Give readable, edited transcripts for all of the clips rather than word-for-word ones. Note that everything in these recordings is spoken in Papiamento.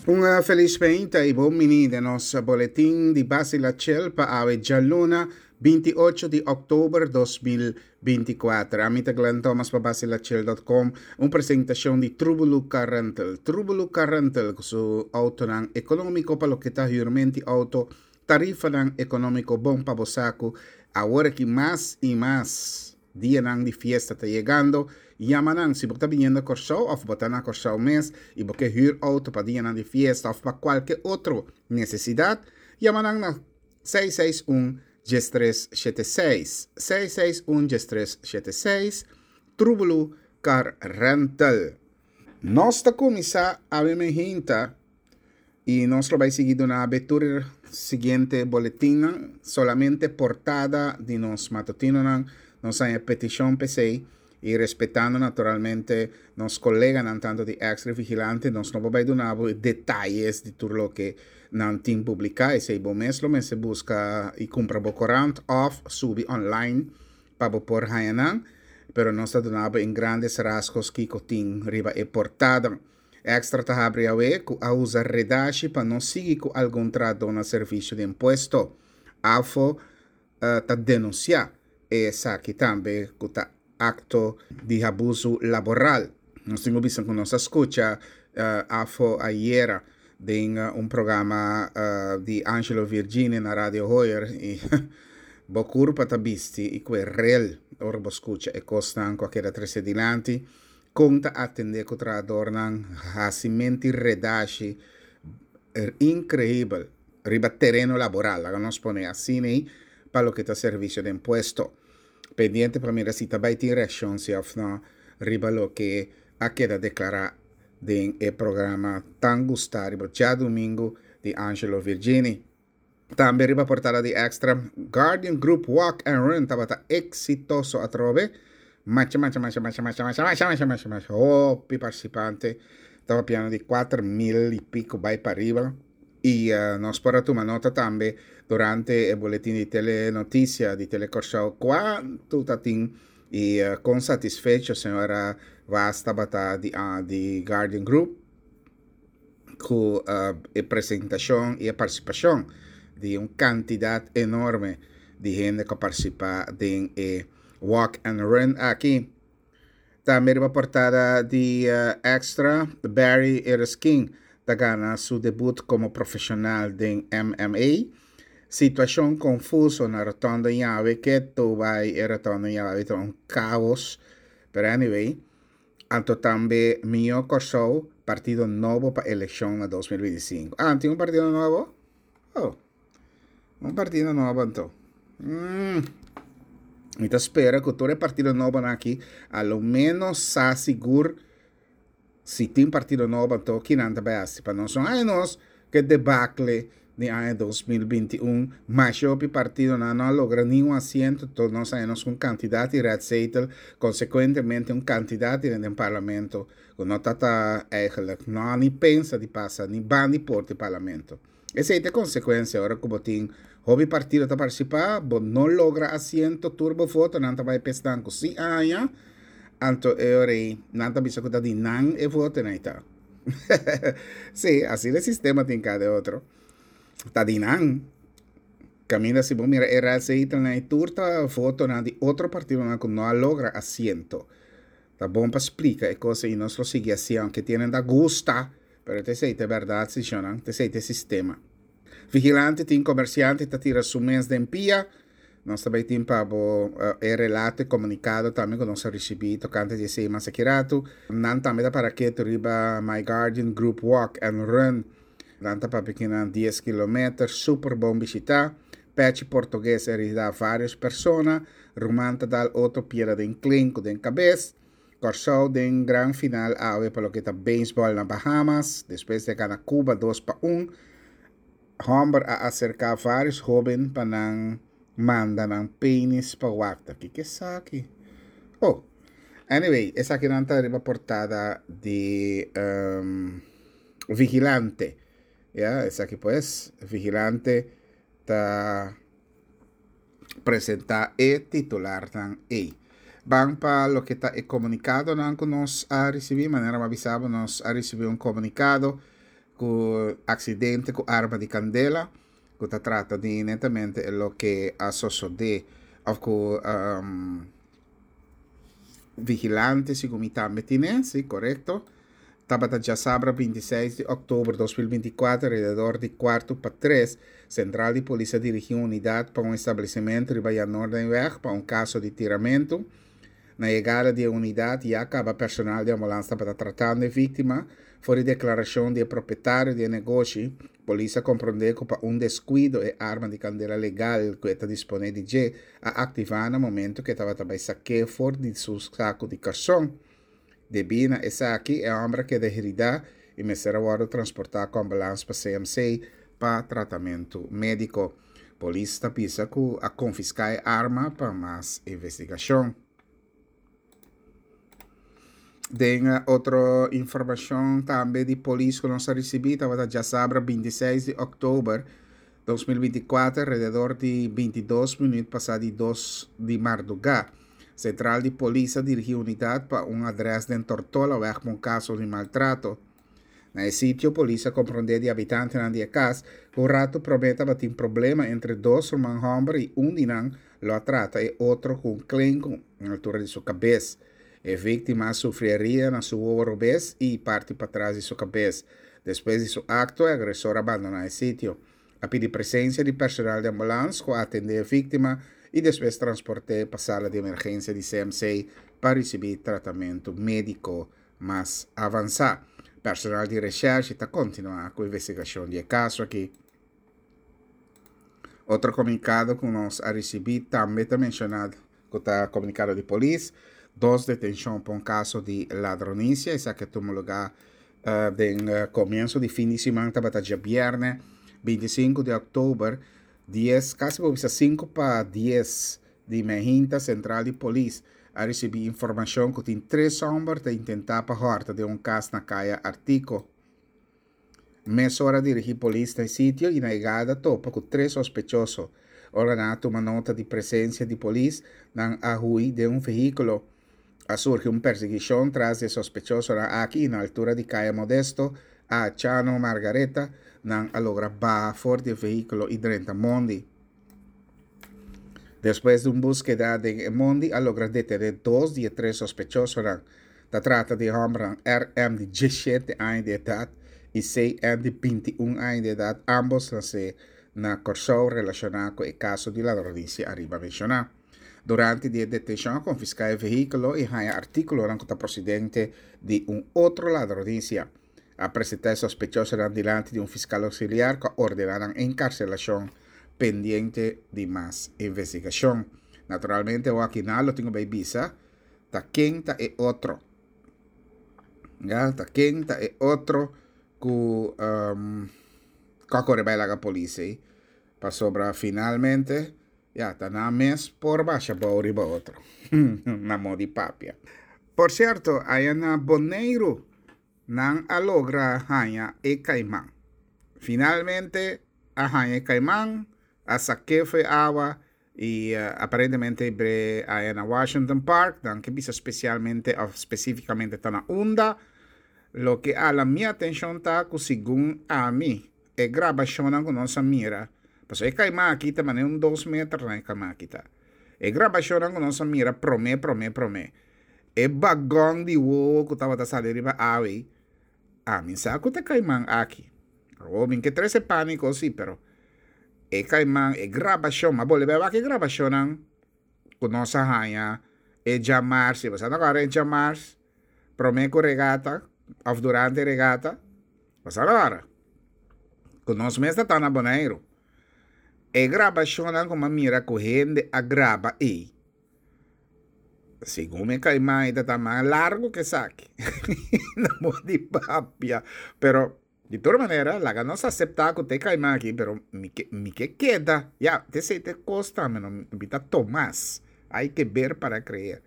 Un felis meinta i bon bini den nos boletin di Basi La Chel pa awe djaluna 28 di òktober 2024. Ami ta Glenn Thomas pa basilachel.com, un presentashon di Trubulu Car Rental. Trubulu Car Rental ku su outonan ekonómiko pa loke ta hürmenti outo, tarifanan ekonómiko bon pa bo saku, awor aki mas i mas. Dianan di fiesta ta yegando, yama nan si bo ta biniendo Kòrsou òf bo ta na Kòrsou mes i bo ke hür outo pa dianan di fiesta òf pa kualke otro nesesidat, yama nan na 661 1376, 661 1376, Trubulu Car Rental. Nos ta kuminsá awe mehinta I nos lo bai sigui duna abe tur e siguiente boletinnan, solamente portada di nos matutinonan. Nos haña petishon p'esei i respetando naturalmente nos koleganan tantu di Extra i Vigilante, nos no por bai duna bo e detayes di tur loke nan tin publiká. Esei bo mes lo mester buska i kumpra bo korant òf subi online pa bo por haña nan, pero nos ta duna bo en grandes rasgos kiko tin riba e portada. Extra ta habri awe ku a usa redashi pa no sigui ku algun trahadó na servisio di impuesto. AFO ta denunsiá esaki tambe ku ta akto di habusu laboral. Nos tin ku bisa ku nos a skucha AFO ayera den un programa di Angelo Virginia na Radio Hoyer i bo kurpa ta bisti i ku e rel ora bo skucha e kosnan ku a keda trese dilanti. Kon ta atendé ku trahadornan hasi menti redashi inkreibel riba tereno laboral, laga nos pone asina ei, pa loke ta servisio den puesto. Pendiente pa mira si ta bai tin reakshon si òf no riba loke a keda deklará den e programa tan gustá riba djadumingu di Angelo Virgini. Tambe riba portada di Extra, Guardian Group Walk and Run tabata exitoso atrobe. Masha, masha, masha, masha, masha, masha, masha, masha, masha, masha, hopi participante. Taba piano di 4.000 y pico bai pa riba. Y uh, nos por a tuma nota tambe durante e boletin di Telenoticia di Telecorsou cuanto tatin y uh, con satisfecho señora Vaz tabata di, uh, di Guardian Group. ku e presentashon i e partisipashon di un kantidat enorme di hende ku a partisipá den e Walk and Run aki. Tambe riba portada di Extra, Barry Ereskin ta gana su debut komo profeshonal den MMA. Situashon konfuso na Rotonda Ñawe ke tou bai e Rotonda Ñawe ta un kaos, pero anyway. Anto tambe Mihó Kòrsou, partido nobo pa elekshon na 2025. Ah, tin un partido nobo? Oh, un partido nobo anto. Mm. Mi ta spera ku tur e partido nobonan aki a lo menos sa sigur si tin partido nobo anto kinan ta bai hasi pa nos. No haña nos Ke debakle di aña 2021, masha hopi partidonan no a logra ningun asiento, to nos haña nos un kantidat di rètzetel, konsekuentemente un kantidat di den parlamento ku no ta ta eigenlijk no a ni pensa di pasa ni ban di por di parlamento. Esei ta e konsekuensia ora ku bo tin hopi partido ta partisipá, bo no logra asiento, tur bo votonan ta bai pa esnan ku si a haña, anto e ora ei nan ta bisa ku ta di nan e votonan ei ta. Sí, asina e sistema tin cada otro. Ta di nan. Caminda si bo mira e receitanan y tur ta votonan di otro partidonan cu no a logra asiento. Ta bon pa splica e cosa y nos lo sigui haci aunke tienen ta gusta, pero ta esey ta e berdad si shownan, ta esey ta e sistema. Vigilante tin comerciante ta tira su mes den pia. Nos ta bay tin pa bo e relato e comunicado tambe cu nos a ricibi tocante di esey mas aki rato. Nan tambe ta para ketu riba My Guardian Group Walk and Run. Nan ta papia kinan dies kilometer, super bon bishita. Pechi Portugues a herida varios persona. Ruman ta dal otro piedra den klin cu den cabes. Kòrsou den gran final awe pa loke ta beisbòl na Bahamas, despues di a gana Cuba 2-1. Hòmber a aserká vários hóben pa nan manda nan penis pa wak. Ta kiko esaki? Oh, anyway, esakinan ta riba portada di um, Vigilante. Ya, esaki pues, Vigilante ta presentá e titularnan ei. Ban pa loke ta e komunikadonan ku nos a risibí. Manera mi a bisa bo, nos a risibí un komunikado. ku aksidente ku arma di kandela ku ta trata di netamente e loke a sosodé òf ku vigilante segun mi tambe tine, si korekto, tabata djasabra 26 di òktober 2024 alrededor di kuartu pa tres, sentral di polis a dirigí un unidat pa un establesimentu riba Jan Noordenweg pa un kaso di tiramentu. Na yegada di e unidat ya kaba personal di ambulans tabata tratando e víktima. For di deklarashon di e propietario di e negoshi, polis a komprondé ku pa un deskuido e arma di kandela legal ku e ta disponé di dje a aktivá na momento ku e tabata bai sak'é for di su saku di karson. Debí na esaki e hòmber a keda heridá i mester a wòrdu transportá ku ambulans pa CMC pa tratamentu médiko. Polis ta bisa ku a konfiská e arma pa mas investigashon. Den otro informashon tambe di polis ku nos a risibí tabata djasabra 26 di òktober 2024 alrededor di 22 minüt pasá di dos di mardugá. Sentral di polis a dirigí unidat pa un adrès den Tortolaweg pa un kaso di maltrato. Na e sitio polis a komprondé di habitantenan di e kas ku un ratu promé tabatin problema entre dos ruman hòmber i un di nan lo a trata e otro ku un klenku na altura di su kabes. E víktima a sufri herida na su wowo robes i parti patras di su kabes. Despues di su akto e agresor a bandoná e sitio. A pidi presensia di personal di ambulans ku a atendé e víktima i despues transport'é pa sala di emergensia di CMC pa risibí tratamentu médiko mas avansá. Personal di reshèrshi ta kontinuá ku investigashon di e kaso aki. Otro komunikado ku nos a risibí tambe ta menshoná ku ta komunikado di polis, dos detenshon pa un kaso di ladronisia, esaki a tuma lugá den komienso di fin di siman tabata djabièrnè 25 di òktober dies kasi por bisa sinku pa dies di Mehinta Sentral di Polis a risibí informashon ku tin tres hòmber ta intentá pa hòrta den un kas na Kaya Artiko. Mesora a dirigí polis na e sitio i na yegada topa ku tres sospechoso. Ora nan a tuma nota di presensia di polis, nan a hui den un vehíkulo. A surgi un persiguishon tras di e sospechosonan aki i na altura di Kaya Modesto a Chano Margaretha nan a logra baha for di e vehíkulo i drenta mondi. Despues di un búskeda den e mondi a logra detené dos di e tres sospechosonan. Ta trata di e hòmbernan RM di diesshete aña di edat i CN di bintiun aña di edat, ámbos nasé na Kòrsou relashoná ku e kaso di ladronisia ariba menshoná. Durante di e detenshon a konfiská e vehíkulo i haña artíkulonan ku ta prosedente di un otro ladronisia. A presentá e sospechosonan dilanti di un fiskal oksiliar ku a ordená nan enkarselashon pendiente di mas investigashon. Naturalmente awor akinan lo tin ku bai bisa ta ken ta e otro. Ya, ta ken ta e otro ku um, ku a kore bai laga polis ei. Pasobra finalmente, ya, ta nan mes por basha bou riba otro. Na modi papia. Por sierto, aya na Boneiru Nan a logra haña e kaiman. Finalmente a haña e kaiman, a sak'é fo'i awa i aparentemente bre aya na Washington Park. Nan ke bisa spesialmente òf spesífikamente ta na unda. Loke a hala mi atenshon ta ku segun ami e grabashonnan ku nos a mira, pasobra e kaiman aki ta manera un dos meter nan e kaiman aki ta. E grabashonnan ku nos a mira promé promé promé. E bagon di wowo ku tabata sali riba awe, ami sa ku ta kaiman aki. Awor mi ke trese pániko si, pero e kaiman, e grabashon, m'a bolbe a wak e grabashonnan ku nos a haña e djamars, si bo sa no kòrda e djamars promé ku regata òf durante regata, bo sa no kòrda? Ku nos mes ta ta na Boneiru. E grabashonnan ku m'a mira ku hende a graba ei. Segun mi kaimai ta ta mas largo ke esaki. No por di papia. Pero di tur manera laga nos aseptá ku ta e kaimai aki pero mi ke mi ke keda. Ya, te esei te kos tambe no mi ta Tomas. Hay ke ber para creer.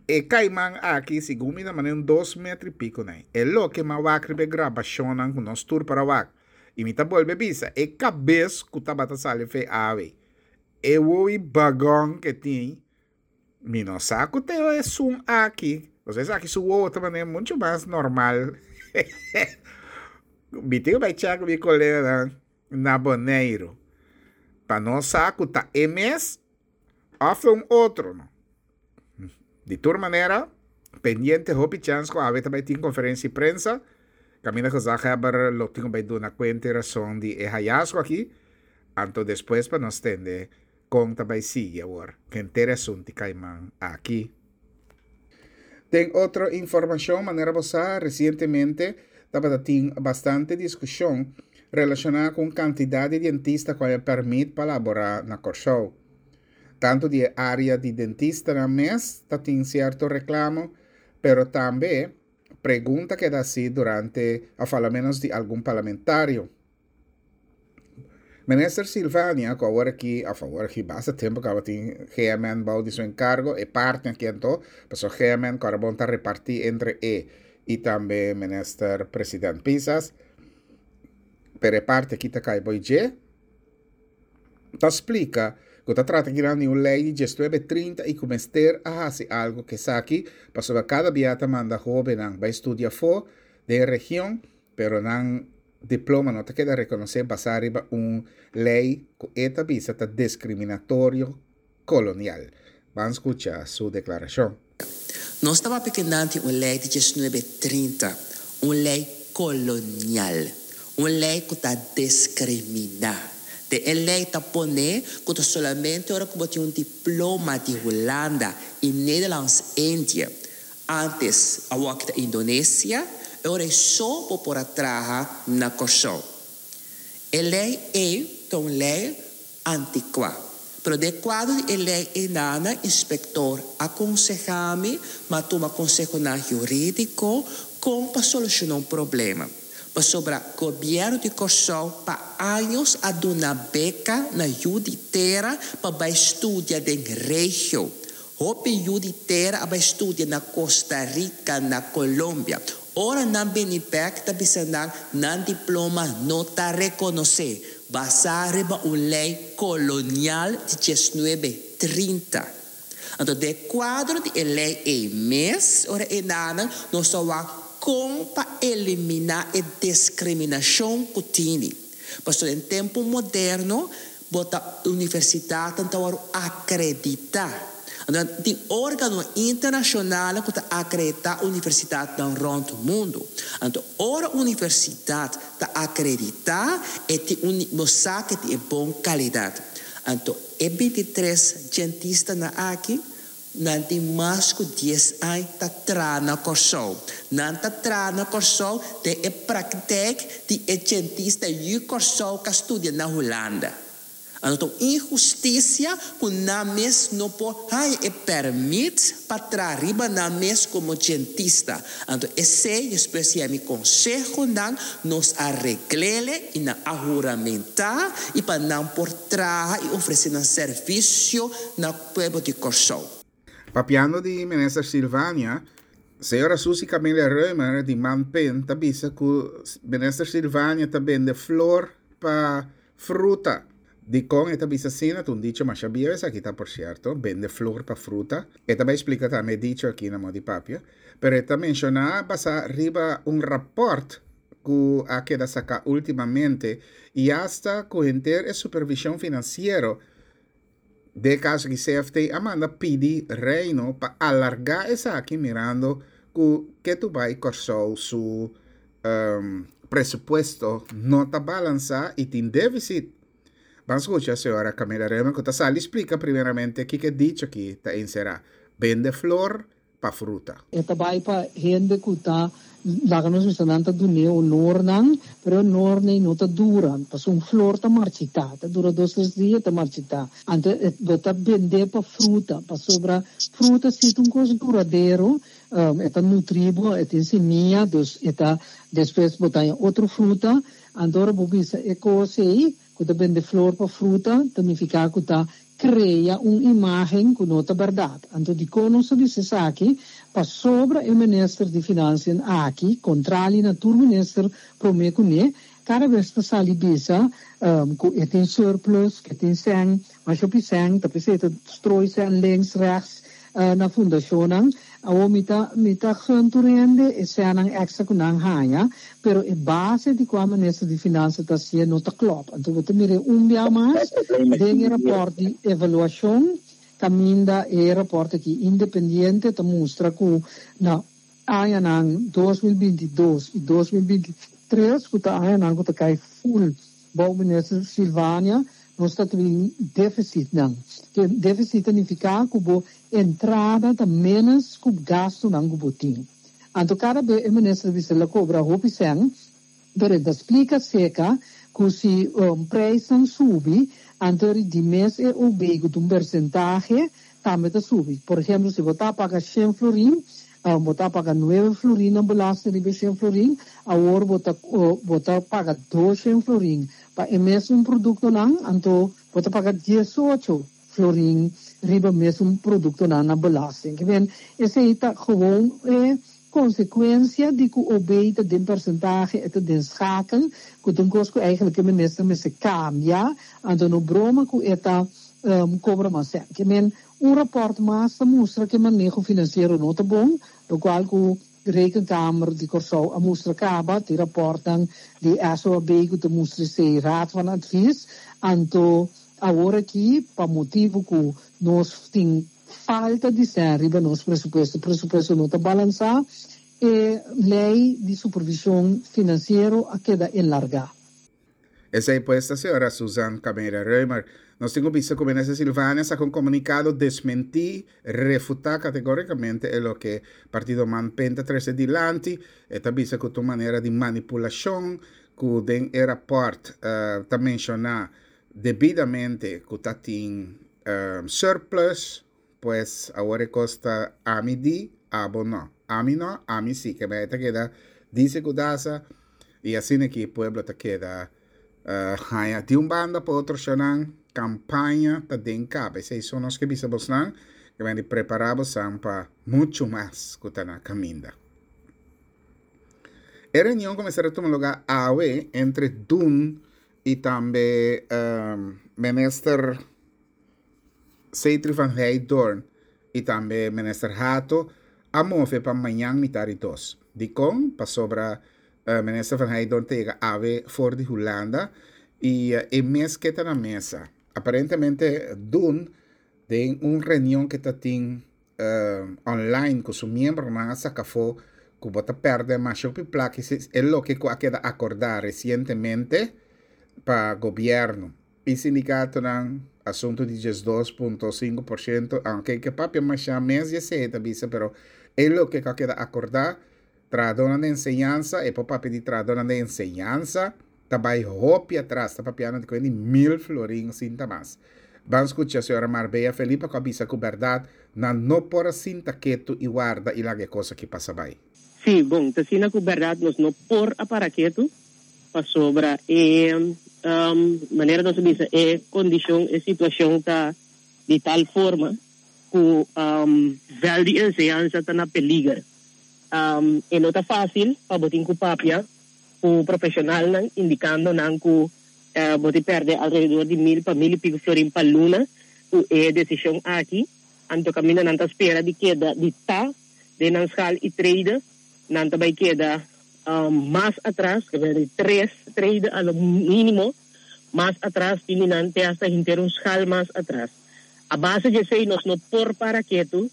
E kaiman aki segun mi ta manera un dos metro i piko nai. E loke mi a wak riba e grabashonnan ku nos tur por a wak. I mi ta bolbe bisa e kabes ku tabata sali fe awe. E wowi bagon ke tin, mi no sa ku ta esun aki, pasobra esaki su wowo ta manera mucho mas normal. Mi tin ku bai chèk mi koleganan na Boneiru pa nos sa ku ta e mes òf ta un otro no. Di tur manera, pendiente hopi chèns ku awe ta bai tin konferensia di prensa, kaminda gezaghebber lo tin ku bai duna kuenta i rason di e hayasgo aki, anto despues pa nos tende kon ta bai sigui awor henter e asuntu di Kaiman aki. Den otro informashon, manera bo sa, resientemente tabata tin bastante diskushon relashoná ku un kantidat di dentista ku a haña pèrmit pa laborá na Kòrsou. Tantu di e área di dentistanan mes ta tin sierto reklamo, pero tambe pregunta keda hasi durante òf alomenos di algun parlamentario. Minister Silvania, ku awor aki, òf awor aki basta tempu kaba tin GMN bou di su enkargo, e parti aki anto, pasobra GMN ku bon ta repartí entre e i tambe Minister President Pisas, pero e parti aki ta kai bou dje, ta splika ku ta trata kinan di un lei di diesnuebe trinta i ku mester a hasi algu ku esaki, pasobra kada bia ta manda hóbennan bai studia afó den region, pero nan diploma no ta keda rekonosé basá riba un lei ku e ta bisa ta diskriminatorio kolonial. Ban skucha su deklarashon. Nos ta papia kenanti un lei di diesnuebe trinta, un lei kolonial, un lei ku ta diskriminá. Den e lei ta pone ku ta solamente ora ku bo tin un diploma di Hulanda i Nederlands Indië, Antes awor ta Indonesia, e ora ei so bo por a traha na Kòrsou. E lei ei ta un lei antikuá. Pero den kuadro di e lei einana inspektor a konsehá mi ma tuma konsehonan hurídiko kon pa solushoná un problema. Pasobra gobièrnu di Kòrsou pa años a duna beka na yu di tera pa bai studia den regio. Hopi yu di tera a bai studia na Costa Rica, na Colombia. Ora nan bini bek ta bisa nan, nan diploma no ta rekonosé, basá riba un lei kolonial di diesnuebe trinta. Anto den kuadro di e lei ei mes, ora e nanan, nos ta wak kon pa eliminá e diskriminashon ku tini. Pasobra den tempu moderno Bo ta universidatnan ta wòrdu akreditá. Anto tin órgano internashonal ku ta akreditá universidatnan rònt mundu. Anto ora universidat ta akreditá e tin un bo sa ku e tin e bon kalidat. Anto e bintitres djentistanan aki Nan tin mas ku dies aña ta traha na Kòrsou. Nan ta traha na Kòrsou den e praktijk di e djentista yu Kòrsou ka studia na Hulanda. Anto ta un inhustisia ku nan mes no por haña e pèrmit pa traha riba nan mes komo djentista. Anto esei despues di mi konsehonan nos a reglele i nan a huramentá i pa nan por traha i ofresé nan servisio na Pueblo di Kòrsou. Papiando di Minister Silvania, señora Suzy Camelia Römer di Manpen ta bisa ku Minister Silvania ta bende flor pa fruta. Dikon e ta bisa asina? Ta un dicho masha bieu esaki ta por sierto, bende flor pa fruta. E ta bai splika tambe e dicho aki na modo di papia, pero e ta menshoná basá riba un rapòrt ku a keda saká últimamente i asta ku henter e supervishon finansiero Den e kaso aki CFT a manda pidi Reino pa alargá esaki mirando ku ketu bai Kòrsou su presupuesto no ta balansá i tin défisit. Ban skucha señora Camila Reumer ku ta sali splika primeramente kiko e dicho aki ta enserá, bende flor pa fruta. E ta bai pa hende ku ta laga nos bisa nan ta dun'é onornan, pero e onornan no ta dura, pasobra un flor ta marchitá, ta dura dos tres dia e ta marchitá. Anto e bo ta bend'é pa fruta, pasobra fruta si ta un kos duradero, e ta nutrí bo, e tin simia, dus e ta despues bo ta haña otro fruta, anto ora bo bisa e kos ei ku ta bende flor pa fruta ta nifiká ku ta krea un imágen ku no ta bèrdat. Anto dikon nos ta bisa esaki? Pasobra e minister di Finansien aki, kontrali na tur minister promé kuné, kada bes ta sali bisa ku e tin surplus, ku e tin sèn, masha hopi sèn, ta p'esei e ta strooi sèn links, rechts na fundashonnan. Awor mi ta mi ta gun tur hende e sènnan èkstra ku nan haña, pero e base di kua minister di Finansa ta hasié no ta klòp. Anto bo ta mir'é un bia mas den e rapòrt di evaluashon kaminda e rapòrt aki independiente ta mustra ku na añanan 2022 i 2023 ku ta añanan ku ta kai ful bou minister Silvania nos ta tin déficitnan. Ke déficit ta nifiká ku bo entrada ta ménos ku gastunan ku bo tin. Anto kada be e minister bisa el a kobra hopi sèn, pero e ta splika seka ku si preisnan subi, anto ri di mes e OB ku ta un persentahe tambe ta subi. Por ehemplo si bo ta paga shen florin, bo ta paga nuebe florin na belasting riba e shen florin, awor bo ta bo ta paga dos shen florin pa e mesun produktonan, anto bo ta paga diesocho florin riba mesun produktonan na belasting. Ke men esei ta gewoon e konsekuensia di ku OB ta den persentahe, e ta den schakel, ku ta un kos ku eigenlijk e minister mester kambia, anto no broma ku e ta kobra mas sèn. Ke men un rapòrt mas ta mustra ku e maneho finansiero no ta bon, lokual ku Rekenkamer di Kòrsou a mustra kaba, tin rapòrtnan di SOAB ku ta mustra esei, Raad van Advies, anto awor aki pa motibu ku nos tin falta di sèn riba nos presupuesto, presupuesto no ta balansá, e lei di supervishon finansiero a keda enlargá. Esei pues ta señora Susan Camelia Römer. Nos tin cu bisa cu Minister Silvania saca un comunicado desmenti, refuta categoricamente e loke Partido Man-Pen ta trece dilanti. E ta bisa cu ta un manera di manipulacion cu den e rapport ta menciona debidamente cu ta tin surplus. Pues awor e cos ta ami di, abo no. Ami no, ami si. Ke mei ta keda dice cu dasa y asina ki pueblo ta keda haña di un banda pa otro shonan campaña ta den caba. Esey so nos ke bisa bosnan ke mei di prepara bosan pa mucho mas cu ta na caminda. E reunion cu mester a tuma lugar awe entre Dun y tambe Minister Seitri van Heydoorn y tambe Minister Hato a move pa mañan mitar di dos. Dicon? Pasobra Minister van Heydoorn ta yega awe for di Hulanda y e mes ke ta na mesa. Aparentemente Dun den un reunion ke ta tin online cu su miembronan a saca afo cu bo ta perde masha hopi placa e loke cu a keda acorda recientemente pa gobierno. E sindikatonan, asuntu di 12.5%, aunke ke papia masha mes di esei ta bisa, pero e loke ku a keda akordá, trahadónan di enseñansa, e por papia di trahadónan di enseñansa, ta bai hopi atras, ta papiando di kuenta di mil florin sin ta mas. Ban skucha señora Marbella Felipa ku a bisa ku bèrdat nan no por a sinta ketu i warda i laga e kos aki pasa bai. Sí, bon, ta asina ku bèrdat nos no por a para ketu. Pasobra e manera nos a bisa e kondishon, e situashon ta di tal forma ku vèl di enseñansa ta na peliger. E no ta fásil pa bo tin ku papia ku profeshonalnan indikando nan ku bo tin pèrdè alrededor di mil pa mil i piku florin pa luna ku e desishon aki. Anto kaminda nan ta spera di keda di ta den nan skal i trede, nan ta bai keda Mas atras, ke di tres trede a lo mínimo, mas atras tin di nan te hasta henter un skal mas atras. A base di esei nos no por para ketu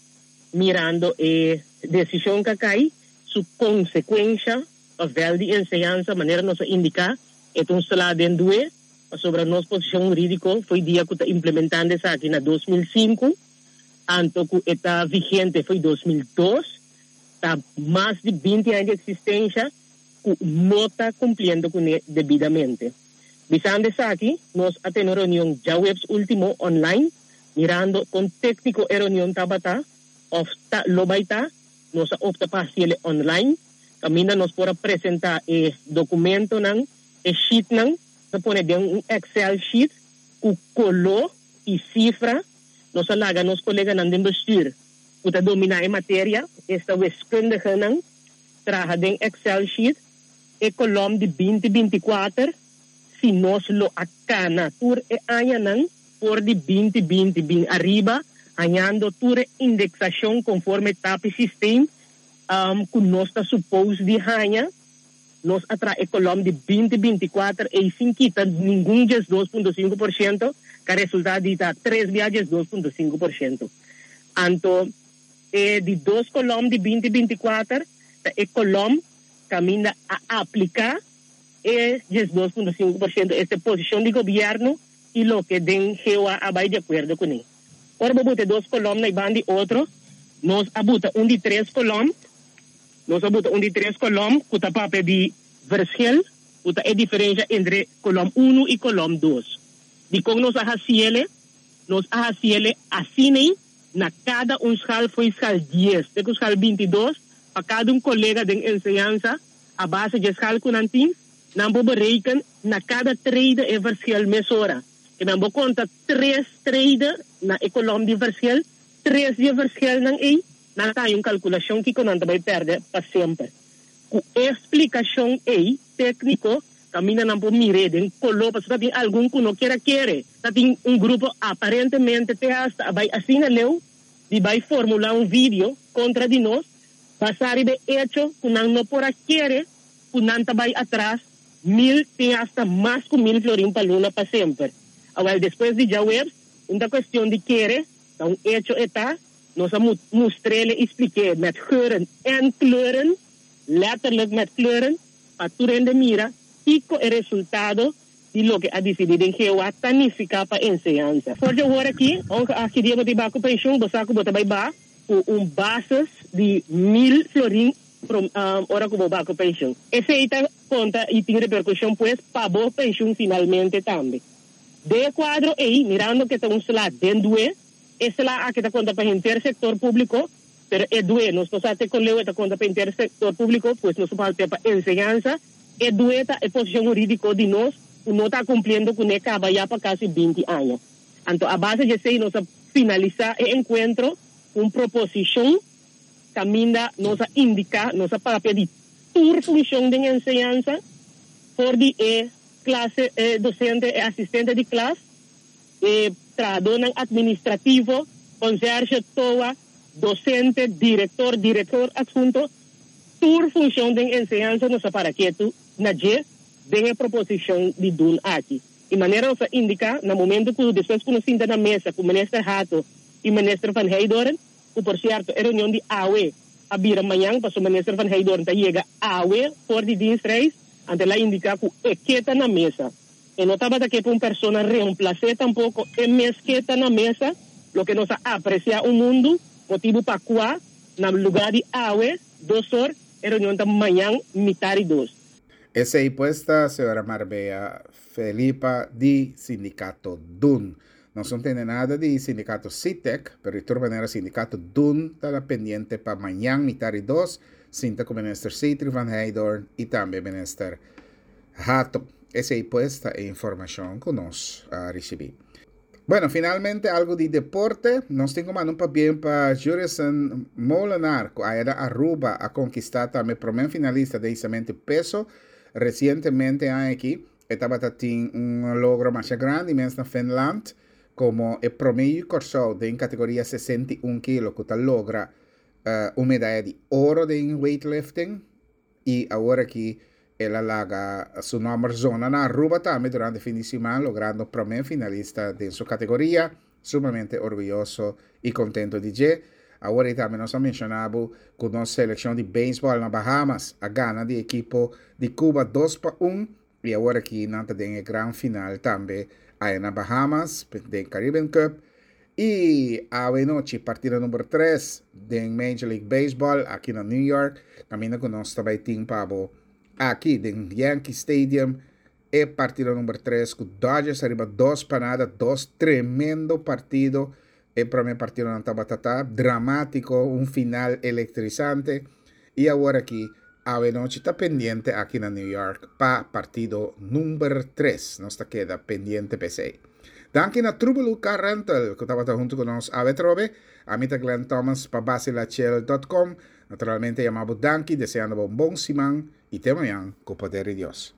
mirando e desishon ku a kai, su konsekuensha pa vèlt di enseñansa, manera nos a indiká, e ta un sla den due, pasobra nos posishon hurídiko fo'i dia ku ta implementando esaki na 2005, anto ku e ta vigente fo'i 2002. Ta mas di 20 aña di eksistensha ku no ta kumpliendo kuné debidamente. Bisando esaki, nos a tene un reunion djaweps último online, mirando kon tékniko e reunion tabata òf ta lo bai ta, nos a opta pa hasiel online, kaminda nos por a presentá e dokumentonan, e sheetnan, nos a pone den un Excel sheet ku koló i sifra, nos a laga nos koleganan den bestuur ku ta dominá e materia, esta wiskundigenan, traha den Excel sheet e kolòm di 20 24 si nos lo a kana tur e añanan for di 20 20 bin ariba. Hañando tur e indeksashon konforme tapi systeem ku nos ta supos di haña, nos a traha e kolòm di 2024 ei sin kita ningun 12,5%, ku a resultá di ta tres bia 12,5%. Anto e di dos kolòm di 2024 ta e kolòm kaminda a apliká e 12,5%, esta posishon di gobièrnu i loke den GOA a bai di akuerdo kuné. Ora bo buta e dos kolòm na e banda di otro, nos a buta un di tres kolòm, nos a buta un di tres kolòm ku ta papia di verschil, ku ta e diferensha entre kolòm unu i kolòm dos. Dikon nos a hasiele? Nos a hasiele asin'ei na kada un skal fo'i skal 10 te ku skal 22, pa kada un kolega den enseñansa, a base dje skal ku nan tin, nan por bereken na kada trede e verschil mesora. Ke men bo konta tres trede na e kolòm di verschil, tres di e verschilnan ei, nan ta haña un kalkulashon kiko nan ta bai pèrdè pa semper. Ku e splikashon ei tékniko, kaminda nan por mir'é den koló, pasobra ta tin algun ku no kier a kere. Ta tin un grupo aparentemente te hasta a bai asina leu di bai formulá un video kontra di nos, basá riba e echo ku nan no por a kere ku nan ta bai atras 1000 te hasta mas ku 1000 florin pa luna pa semper. Awèl, despues di djaweps, un ta kuestion di kere, ta un echo e ta, nos a mustr'é i splik'é met geuren en kleuren, letterlijk met kleuren, pa tur hende mira kiko e resultado di loke a disidí den GOA ta nifiká pa enseñansa. For di awor aki, ongeacht ki dia bo ta bai ku penshun, bo sa ku bo ta bai ba ku un basis di 1000 florin ora ku bo ba ku penshun. Esei ta konta i tin reperkushon pues pa bo penshun finalmente tambe. Den e kuadro ei, mirando ku e ta un sla den due, e sla aki ta konta pa henter sektor públiko, pero e due nos no sa te kon leu e ta konta pa henter sektor públiko, pues nos ta papia pa enseñansa. E due ta e posishon hurídiko di nos ku no ta kumpliendo kuné kaba ya pa kasi 20 aña. Anto a base di esei nos a finalisá e enkuentro ku un proposishon kaminda nos a indiká, nos a papia di tur funshon den enseñansa, for di e klase, e dosente, e asistente di klas, e trahadónan atministrativo, konsèrshe, toa, dosente, direktor, direktor athunto, tur funshon den enseñansa nos a para ketu na dje den e proposishon di DUN aki. I manera nos a indiká na momento ku despues ku nos sinta na mesa ku Minister Hato i Minister Van Heydoorn, ku por sierto e reunion di awe a bira mañan pasobra Minister Van Heydoorn ta yega awe for di dienstreis, anto el a indiká ku e ke ta na mesa. E no tabata ke pa un persona reemplas'é tampoko, e mes ke ta na mesa, loke nos a apresiá un mundu, motibu pa kua na lugá di awe 2 or, e reunion ta mañan mitar i dos. Esei pues ta señora Marbella Felipa di Sindikato DUN. Nos no tende nada di Sindikato SITEK, pero di tur manera Sindikato DUN ta pendiente pa mañan mitar i dos, sinta ku Minister Sithree van Heydoorn i tambe Minister Hato. Esei pues ta e informashon ku nos a risibí. Bueno, finalmente algu di deporte. Nos tin ku manda un pabien pa Jurison Molenaar, ku aya na Aruba a konkistá tambe promé finalista den hisamentu peso. Resientemente aki e tabata tin un logro masha grandi mes na Finland komo e promé yu Kòrsou den kategoria 61 kilo ku ta logra un medaya di oro den weightlifting i awor aki el a laga su nòmber zona na Aruba tambe durante fin di siman, logrando promé finalista den su kategoria. Sumamente orguyoso i kontentu di dje. Awor tambe nos a menshoná ku nos selekshon di beisbòl na Bahamas a gana di ekipo di Cuba 2-1 i awor aki nan ta den e gran final tambe aya na Bahamas den Caribbean Cup. I awe nochi partido number 3 den Major League Baseball aki na New York. Kaminda ku nos tambe tin pa bo aki den Yankee Stadium e partido number 3 ku Dodgers ariba 2-0, dos tremendo partido. E promé partido nan tabata dramátiko, un final elektrisante. I awor aki awe nochi ta pendiente aki na New York pa partido number 3. Nos ta keda pendiente p'esei. Danki na Trubelu Car Rental, ku tabata huntu ku nos awe trobe. Ami ta Glenn Thomas pa basilachel.com. Naturalmente yama bo danki, deseando un bon siman i te mañan ku poder di Dios.